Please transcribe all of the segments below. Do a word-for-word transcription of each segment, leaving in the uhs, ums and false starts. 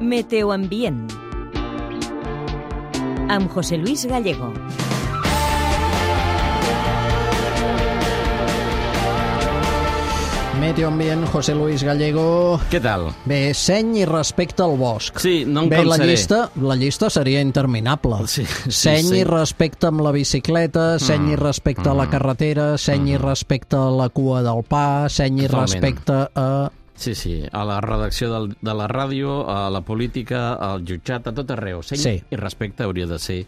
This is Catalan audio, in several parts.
Meteoambient amb José Luis Gallego. Meteoambient, José Luis Gallego. Què tal? Bé, seny i respecte al bosc. Sí, no em Bé, la cansaré. llista, la llista seria interminable. Sí, sí, seny sí. i respecte amb la bicicleta, seny Mm. i respecte a la carretera, seny i respecte a la cua del pa, seny i Totalment. respecte a... Sí, sí, a la redacció del, de la ràdio, a la política, al jutjat, a tot arreu. Seny Sí. i respecte hauria de ser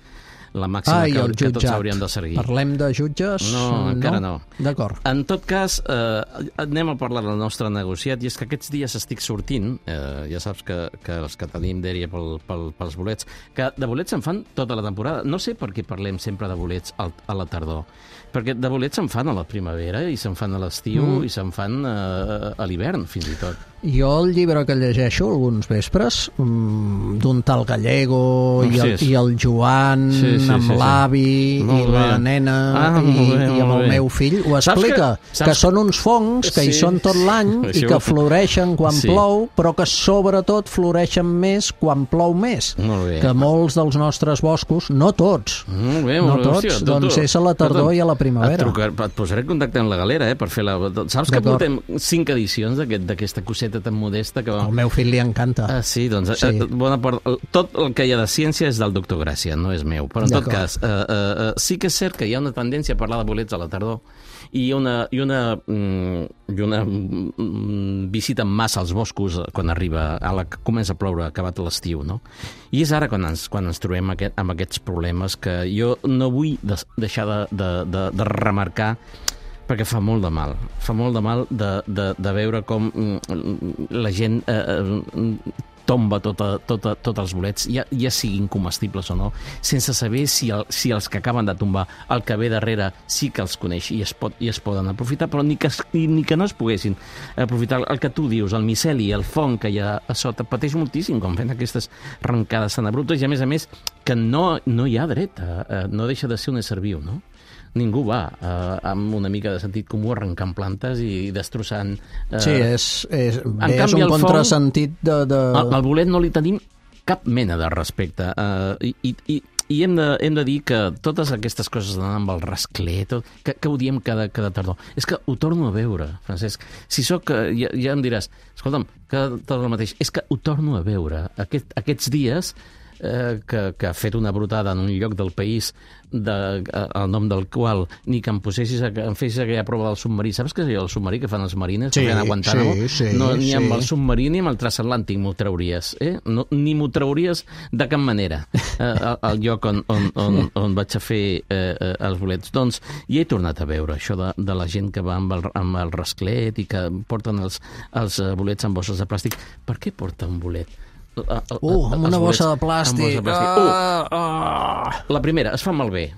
la màxima Ai, que, el que tots jutjat. hauríem de seguir. Parlem de jutges? No, encara no. D'acord. En tot cas, eh, anem a parlar del nostre negociat, i és que aquests dies estic sortint, eh, ja saps que, que els que tenim dèria pel, pel, pels bolets, que de bolets se'n fan tota la temporada. No sé per què parlem sempre de bolets al, a la tardor, perquè de bolets se'n fan a la primavera, i se'n fan a l'estiu, Mm. i se'n fan eh, a l'hivern, fins i tot. Jo el llibre que llegeixo alguns vespres, mm, d'un tal Gallego i el, Sí, sí. i el Joan Sí, sí, amb sí, sí. l'avi i Molt la bé. nena Ah, i, molt bé, i amb molt el bé. meu fill, ho Saps explica, que- que, saps- són uns fongs que hi Sí. són tot l'any i Això que ho- floreixen quan Sí. plou, però que sobretot floreixen més quan plou més. Molt bé. Que molts dels nostres boscos, no tots, Molt bé, no molt bé. tots, Hòstia, tu, doncs tu. és a la tardor Escolta'm, i a la primavera. Et, trucar, et posaré en contacte amb la galera, eh, per fer la... Saps que D'acord. portem cinc edicions d'aquest- d'aquesta coseta tan modesta que va... Al meu fill li encanta. Ah, sí, doncs Sí. sí. Eh, bona part, tot el que hi ha de ciència és del doctor Gràcia, no és meu. Però en tot D'acord. cas, eh, eh, eh, sí que és cert que hi ha una tendència a parlar de bolets a la tardor i una, i una, mm, i una mm, visita en massa als boscos quan arriba, a la que comença a ploure, acabat l'estiu, no? I és ara quan ens, quan ens trobem aquest, amb aquests problemes que jo no vull des, deixar de, de, de, de remarcar, perquè fa molt de mal. Fa molt de mal de, de, de veure com mm, la gent eh, eh, tomba tota, tota, tots els bolets, ja, ja siguin comestibles o no, sense saber si, el, si els que acaben de tombar, el que ve darrere, sí que els coneix i es, pot, i es poden aprofitar, però ni que, es- ni, ni que no es poguessin aprofitar. El que tu dius, el miceli, el fong que hi ha a sota, pateix moltíssim quan fent aquestes arrencades tan abruptes, i a més a més que no, no hi ha dret, a, a, no deixa de ser un ésser viu, no? Ningú va eh, amb una mica de sentit comú arrencant plantes i destrossant... Eh, Sí, és, és, bé, és canvi, un el fong- contrasentit de... de... al, al bolet no li tenim cap mena de respecte. Uh, i, i, i i hem de, hem de dir que totes aquestes coses d'anar amb el rascler, tot, que, que ho diem cada, cada tardor. És que ho torno a veure, Francesc. Si sóc, ja, ja em diràs, escolta'm, cada tardor el mateix. És que ho torno a veure. Aquest, aquests dies eh, que, que ha fet una brotada en un lloc del país de, eh, el nom del qual ni que em posessis a, em fessis aquella prova del submarí. Saps què és el submarí que fan els marines? Sí, que fan a Guantánamo? sí, sí, no, ni sí. amb el submarí ni amb el transatlàntic m'ho trauries. Eh? No, ni m'ho trauries de cap manera eh, al, al lloc on, on, on, on vaig a fer eh, eh, els bolets. Doncs ja he tornat a veure això de, de la gent que va amb el, amb el rasclet i que porten els, els eh, bolets en bosses de plàstic. Per què porta un bolet? Uh, amb una bossa de plàstic. Amb bossa de plàstic. Uh, la primera, es fa malbé.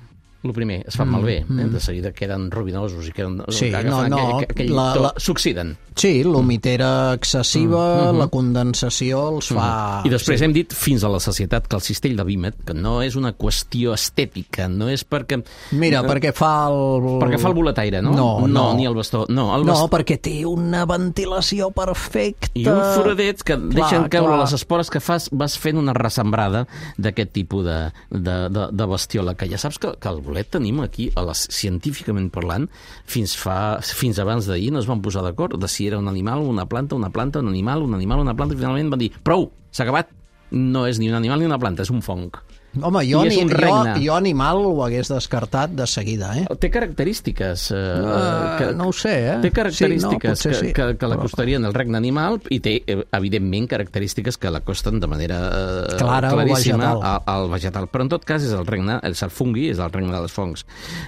El primer, es fa mm, malbé. Mm. Eh? De seguida queden rubinosos i queden... Sí, agafen no, no, aquell, aquell la- to, la- s'oxiden. Sí, l'humitera excessiva, mm, mm, la condensació els fa... I després sí. hem dit fins a la societat que el cistell de vímet, que no és una qüestió estètica, no és perquè... Mira, perquè fa el... Perquè fa el boletaire, no? No, no. no ni el bastó. No, el No, bastó... perquè té una ventilació perfecta. I un foradet que Clar, deixen caure clar. les espores que fas, vas fent una ressembrada d'aquest tipus de, de, de, de bestiola, que ja saps que, que el bolet tenim aquí, a les, científicament parlant, fins, fa, fins abans d'ahir no es van posar d'acord de si era un animal, una planta, una planta, un animal, un animal, una planta, i finalment van dir, prou, s'ha acabat. No és ni un animal ni una planta, és un fong. Home, jo, I és ni, un jo, regne. jo animal ho hagués descartat de seguida, eh? Té característiques... Eh, Uh, que, no ho sé, eh? Té característiques sí, no, que, sí. que, que l'acostarien al regne animal i té, eh, evidentment, característiques que l'acosten de manera eh, Clara al claríssima vegetal. al, al vegetal. Però en tot cas és el regne, el fungui és el regne dels fongs.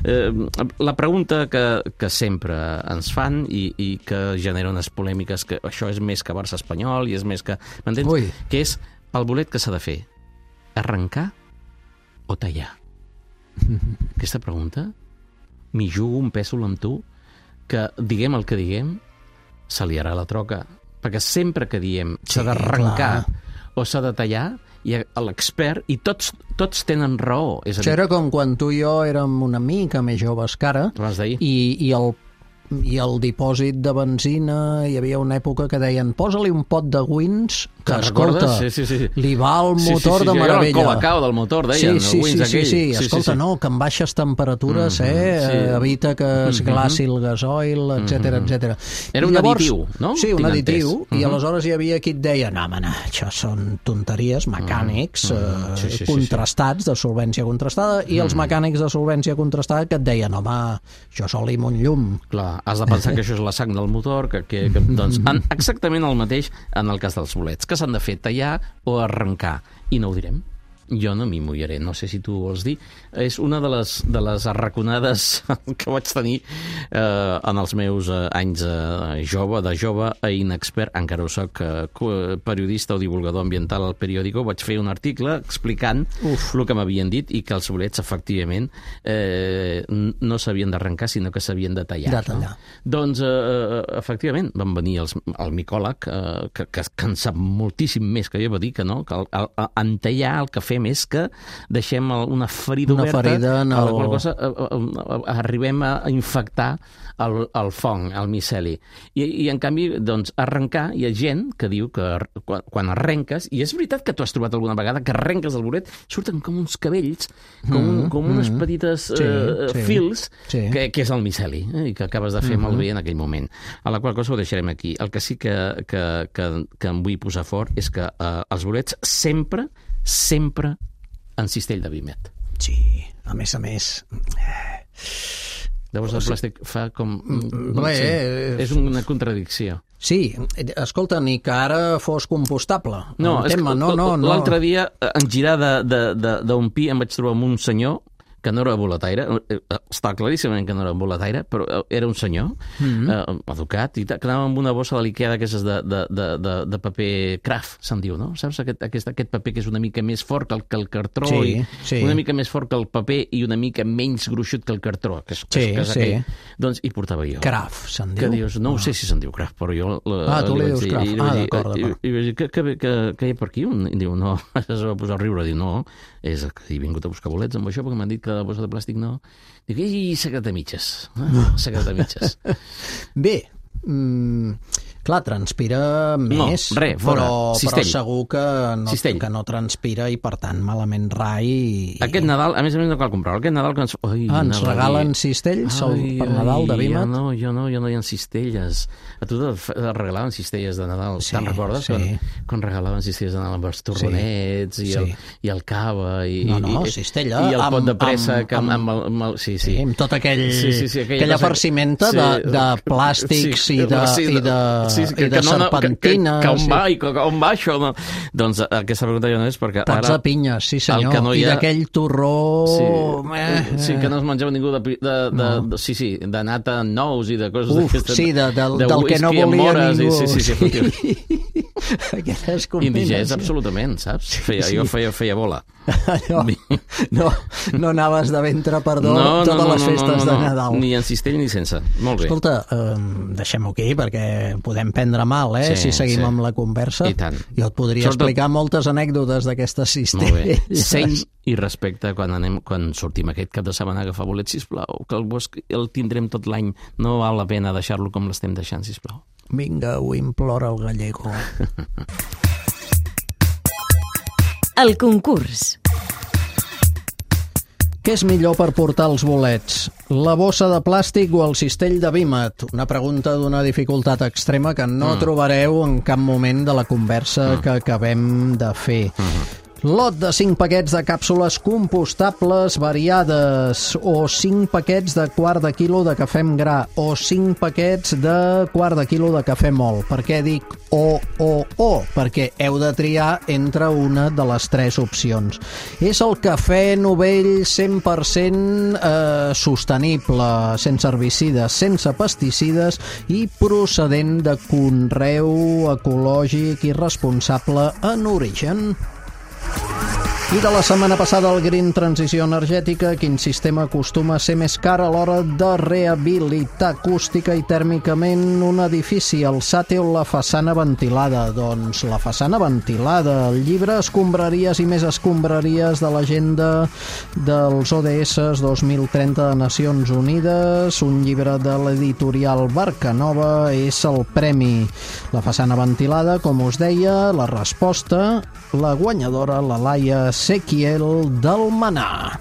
Eh, la pregunta que, que sempre ens fan i, i que genera unes polèmiques, que això és més que Barça espanyol i és més que... M'entens? Ui. Que és el bolet que s'ha de fer? Arrencar o tallar? Aquesta pregunta m'hi jugo un pèsol amb tu que, diguem el que diguem, se liarà la troca. Perquè sempre que diem s'ha Sí, d'arrencar clar. o s'ha de tallar, hi ha l'expert, i tots, tots tenen raó. És a Això dir, era com quan tu i jo érem una mica més joves que ara, abans d'ahir. i, i el i el dipòsit de benzina, hi havia una època que deien posa-li un pot de wins que, escolta, sí, sí, sí. li va el motor sí, sí, sí, de meravella. El colacao del motor, deien, sí, sí, el wins sí, aquell. sí, sí, sí, escolta, sí, sí. no, que amb baixes temperatures Mm-hmm, eh, sí. evita que es glaci el gasoil, etcètera, Mm-hmm. etcètera. Era I un llavors, additiu, no? Sí, un Tinc additiu, entès. i Mm-hmm. aleshores hi havia qui et deia no, home, no, això són tonteries, mecànics Mm-hmm. eh, Sí, sí, sí, contrastats, de solvència contrastada, i els mecànics de solvència contrastada que et deien, home, això sol amb un llum. Clar, has de pensar que això és la sang del motor, que, que, que doncs, en, exactament el mateix en el cas dels bolets, que s'han de fer tallar o arrencar, i no ho direm. Jo no m'hi mullaré, no sé si tu vols dir. És una de les, de les arraconades que vaig tenir eh, en els meus eh, anys eh, jove, de jove a inexpert, encara ho soc, eh, periodista o divulgador ambiental al periòdico, vaig fer un article explicant Uf. el que m'havien dit i que els bolets, efectivament, eh, no s'havien d'arrencar, sinó que s'havien de tallar. De tallar. No? Doncs, eh, efectivament, van venir els, el micòleg, eh, que, que, que en sap moltíssim més que jo, va dir que no, que el, el, el, en tallar el que fem és que deixem una ferida una oberta ferida en el... a la qual cosa a, a, a, arribem a infectar el, el fong, el miceli. I, i en canvi, doncs, arrencar, hi ha gent que diu que quan, quan arrenques, i és veritat que tu has trobat alguna vegada que arrenques el bolet, surten com uns cabells, com, mm, com unes mm, petites sí, uh, sí, fils, sí. Que, que és el miceli, eh, i que acabes de fer mm-hmm. malbé en aquell moment. A la qual cosa ho deixarem aquí. El que sí que, que, que, que em vull posar fort és que uh, els bolets sempre sempre en cistell de vímet. Sí, a més a més... Llavors el plàstic fa com... Bé, sí, és una contradicció. Sí, escolta, ni que ara fos compostable. No, tema, no, no, no. L'altre dia, en girar d'un pi, em vaig trobar amb un senyor que no era boletaire, està claríssimament que no era boletaire, però era un senyor mm-hmm. eh, educat, i que anava amb una bossa de l'Ikea d'aquestes de, de, de, de, de paper craft, se'n diu, no? Saps? Aquest, aquest, aquest paper que és una mica més fort que el, que el cartró, sí, i sí. una mica més fort que el paper i una mica menys gruixut que el cartró, que és, sí, que és sí. aquell. Doncs hi portava jo. Craft, se'n diu? Que dius, no ah. ho sé si se'n diu craft, però jo... La, ah, tu li dius dir, craft. I, ah, i, d'acord, d'acord. I, i vaig dir, què, què, què, què hi ha per aquí? I diu, no, es va posar a riure, diu, no, és que he vingut a buscar bolets amb això, perquè m'han dit que la bossa de plàstic no... Dic, ei, secret de mitges. Eh? Secret de mitges. Bé, mm, clar, transpira més, no, res, fora. però, però segur que no, que no transpira i, per tant, malament rai. I... Aquest Nadal, a més a més, no cal comprar-lo. Aquest Nadal... Que ens... Ai, ah, ens regalen cistells ai, per Nadal de Vímet? Jo no, jo no, jo no hi ha cistelles. A tu te regalaven cistelles de Nadal. Sí, te'n recordes? Sí. Quan, quan regalaven cistelles de Nadal amb els torronets sí, i, el, sí. i el cava i, no, no, i, cistella, i el pot amb, de pressa amb, amb, amb, el, amb el... Sí, sí. sí, amb tot aquell, sí, sí, sí, aquella, aquella farcimenta sí, de, de plàstics sí, i de, sí, i de, sí, sí, i de no, serpentines. Que, que, que on va, i que, on va això? No? Doncs aquesta pregunta ja no és perquè Tats ara... de pinyes, sí senyor, no i ha... d'aquell torró... Sí, eh, sí, que no es menjava ningú de... de, de, no. de sí, sí, de nata en nous i de coses Uf, d'aquestes. sí, de, de, de del que no volia ningú. I, sí, sí, sí, sí. Aquelles indigés, absolutament, saps? Feia, sí. Jo feia, feia bola. No, no, no anaves de ventre, perdó, no, no, totes no, les festes no, no, no, de Nadal. Ni en cistell ni sense. Molt bé. Escolta, eh, deixem-ho aquí perquè podem prendre mal, eh, sí, si seguim sí. amb la conversa. I tant. Jo et podria Sobretot... explicar moltes anècdotes d'aquestes cistelles. Molt bé. Seny i respecte quan, anem, quan sortim aquest cap de setmana a agafar bolets, sisplau, que el bosc el tindrem tot l'any. No val la pena deixar-lo com l'estem deixant, sisplau. Vinga, ho implora el gallego. El concurs. Què és millor per portar els bolets? La bossa de plàstic o el cistell de Vímet? Una pregunta d'una dificultat extrema que no mm. trobareu en cap moment de la conversa mm. que acabem de fer. Mm. Lot de cinc paquets de càpsules compostables variades, o cinc paquets de quart de quilo de cafè amb gra, o cinc paquets de quart de quilo de cafè mòlt. Per què dic o, o, o? Perquè heu de triar entre una de les tres opcions. És el cafè novell cent per cent eh, sostenible, sense herbicides, sense pesticides i procedent de conreu ecològic i responsable en origen. I de la setmana passada el Green Transició Energètica, quin sistema acostuma a ser més car a l'hora de rehabilitar acústica i tèrmicament un edifici, el Sàteo, la façana ventilada. Doncs la façana ventilada, el llibre Escombraries i més escombraries de l'agenda dels O D S dos mil trenta de Nacions Unides, un llibre de l'editorial Barcanova, és el premi. La façana ventilada, com us deia, la resposta, la guanyadora, la Laia Sequiel del Manà.